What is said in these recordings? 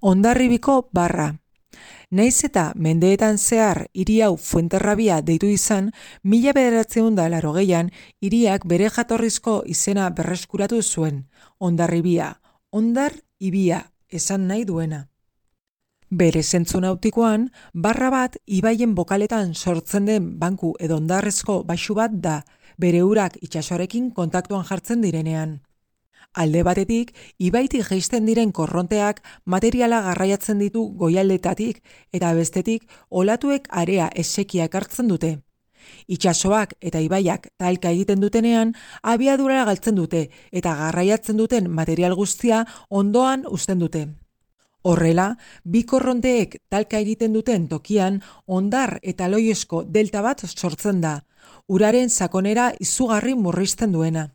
Hondarribiko barra. Naiz eta mendeetan zehar hiri hau Fuenterrabia deitu izan, 1980an hiriak bere jatorrizko izena berreskuratu zuen, Hondarribia, hondar ibia, esan nahi duena. Bere zentzu nautikoan, barra bat ibaien bokaletan sortzen den banku edo hondarrezko baxu bat da, bere urak itsasoarekin kontaktuan jartzen direnean. Alde batetik, ibaitik jaisten diren korronteak materiala garraiatzen ditu goialdetatik eta bestetik olatuek area esekia ekartzen dute. Itsasoak eta ibaiak talka egiten dutenean, abiadura galtzen dute eta garraiatzen duten material guztia ondoan uzten dute. Horrela, bi korronteek talka egiten duten tokian hondar eta loiosko delta bat sortzen da, uraren sakonera izugarri murrizten duena.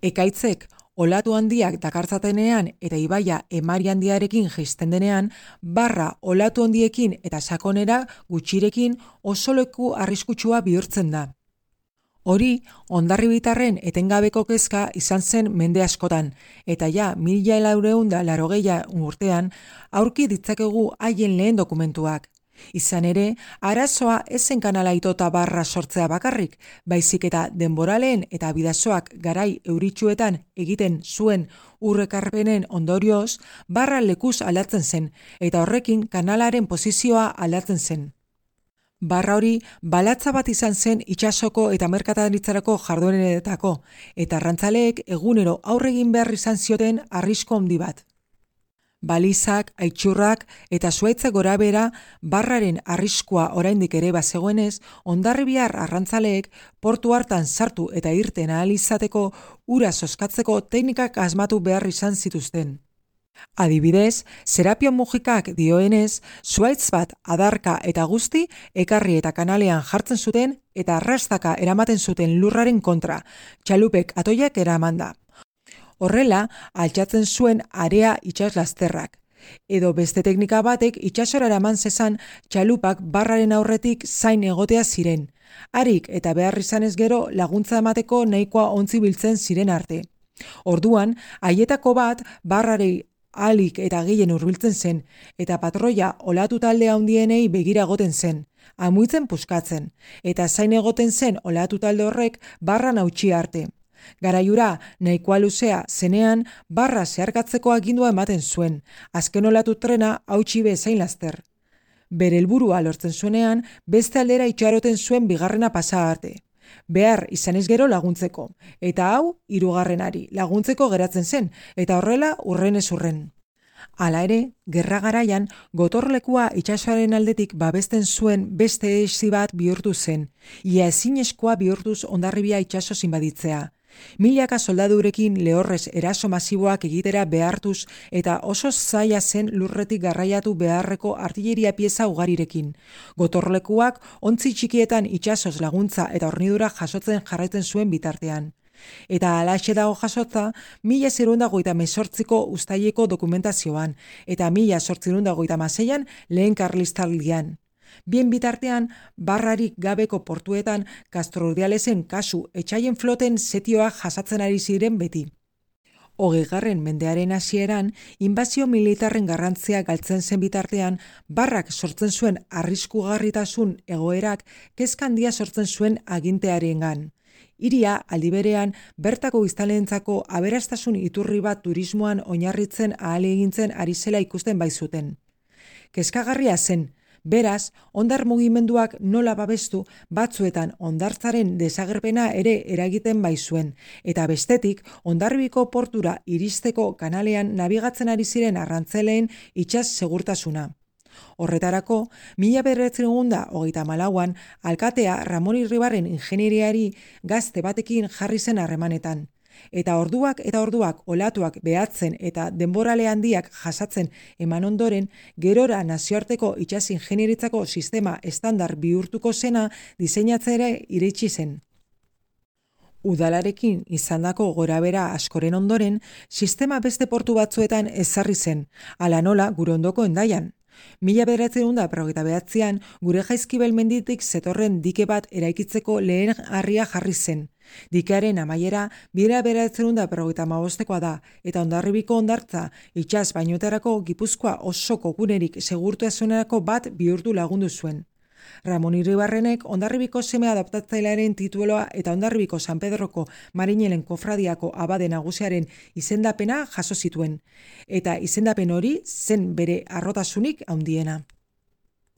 Ekaitzek olatu handiak dakartzatenean eta ibaia emari handiarekin jaisten denean, barra olatu handiekin eta sakonera gutxirekin oso leku arriskutsua bihurtzen da. Hori, hondarribitarren etengabeko kezka izan zen mende askotan, eta ja 1980 urtean aurki ditzakegu haien lehen dokumentuak. Izan ere, arazoa ezen kanala itota barra sortzea bakarrik, baizik eta denboraleen eta bidasoak garai euritsuetan egiten zuen urrekarpenen ondorioz, barra lekuz aldatzen zen, eta horrekin kanalaren posizioa aldatzen zen. Barra hori balatza bat izan zen itsasoko eta merkataritzarako jardueretako, eta arrantzaleek egunero aurre egin behar izan zioten arrisku handi bat. Balizak, aitxurrak eta zuaitzak gorabehera barraren arriskua oraindik ere bazegoenez, hondarribiar arrantzaleek portu hartan sartu eta irten ahal izateko ura zozkatzeko teknikak asmatu behar izan zituzten. Adibidez, Serapio Mujikak dioenez, zuaitz bat adarka eta guzti ekarri eta kanalean jartzen zuten eta arrastaka eramaten zuten lurraren kontra, txalupek atoiak eramanda. Horrela, altxatzen zuen area itsaslasterrak. Edo beste teknika batek itsasora eraman zezan txalupak barraren aurretik zain egotea ziren. Harik eta behar izanez gero laguntza emateko nahikoa ontzi biltzen ziren arte. Orduan, haietako bat barrari ahalik eta gehien hurbiltzen zen, eta patroia olatu talde handienei begira egoten zen, amuitzen puskatzen, eta zain egoten zen olatu talde horrek barran hautsi arte. Garaiura nahikoa luzea zenean barra zeharkatzeko agindua ematen zuen, azken olatu trena hautsi bezain laster. Bere helburua lortzen zuenean, beste aldera itxaroten zuen bigarrena pasa arte. Behar izanez gero laguntzeko, eta hau hirugarrenari laguntzeko geratzen zen, eta horrela urrenez urren. Hala ere, gerra garaian, gotorlekua itsasoaren aldetik babesten zuen beste esi bat bihurtu zen, ia ezinezkoa bihurtuz Hondarribia itsasoz inbaditzea. Milaka soldadurekin lehorrez eraso masiboak egitera behartuz eta oso zaila zen lurretik garraiatu beharreko artilleria pieza ugarirekin. Gotorlekuak ontzi txikietan itsasoz laguntza eta hornidura jasotzen jarraitzen zuen bitartean. Eta halaxe dago jasotza 1938ko uztaileko dokumentazioan eta 1936an lehen karlistaldian. Bien bitartean, barrarik gabeko portuetan Castrurdialesen kasu etxaien floten setioak jasatzen ari ziren beti. 20. mendearen hasieran, inbazio militarren garrantzia galtzen zen bitartean, barrak sortzen zuen arriskugarritasun egoerak kezka handia sortzen zuen agintearengan. Hiria aldi berean bertako biztanleentzako aberastasun iturri bat turismoan oinarritzen ahalegintzen ari zela ikusten baizuten. Kezkagarria zen. Beraz, hondar mugimenduak nola babestu batzuetan hondartzaren desagerpena ere eragiten baizuen, eta bestetik Hondarribiko portura iristeko kanalean nabigatzen ari ziren arrantzaleen itsas segurtasuna. Horretarako, 1934an alkatea Ramon Irribarren ingenieriari gazte batekin jarri zen harremanetan. Eta orduak olatuak behatzen eta denborale handiak jasatzen eman ondoren, gerora nazioarteko itsas ingenieritzako sistema estandar bihurtuko zena diseinatzera iritsi zen. Udalarekin izandako gorabehera askoren ondoren, sistema beste portu batzuetan ezarri zen, hala nola gure ondoko Hendaian. 1959an gure Jaizkibel menditik zetorren dike bat eraikitzeko lehen harria jarri zen, Dikearen amaiera 1955koa da, eta Hondarribiko hondartza itsas bainoetarako Gipuzkoa osoko gunerik segurtasunerako bat bihurtu lagundu zuen. Ramon Iribarrenek Hondarribiko seme adoptatzailearen titulua eta Hondarribiko San Pedroko Marinelen kofradiako abade nagusiaren izendapena jaso zituen, eta izendapen hori zen bere harrotasunik handiena.